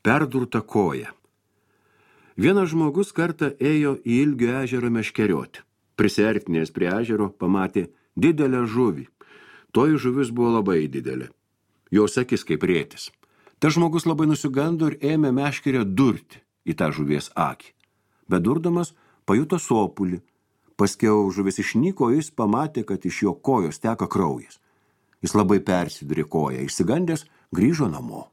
Perdurta koja. Vienas žmogus kartą ėjo į Ilgio ežerą meškerioti. Prisiartinęs prie ežero pamatė didelę žuvį. Toji žuvis buvo labai didelė. Jos akis kaip rėtis. Tas žmogus labai nusigando ir ėmė meškerę durti į tą žuvies akį. Bedurdamas pajuto sopulį. Paskiau žuvis išnyko, jis pamatė, kad iš jo kojos teka kraujas. Jis labai persidurė koją, išsigandęs grįžo namo.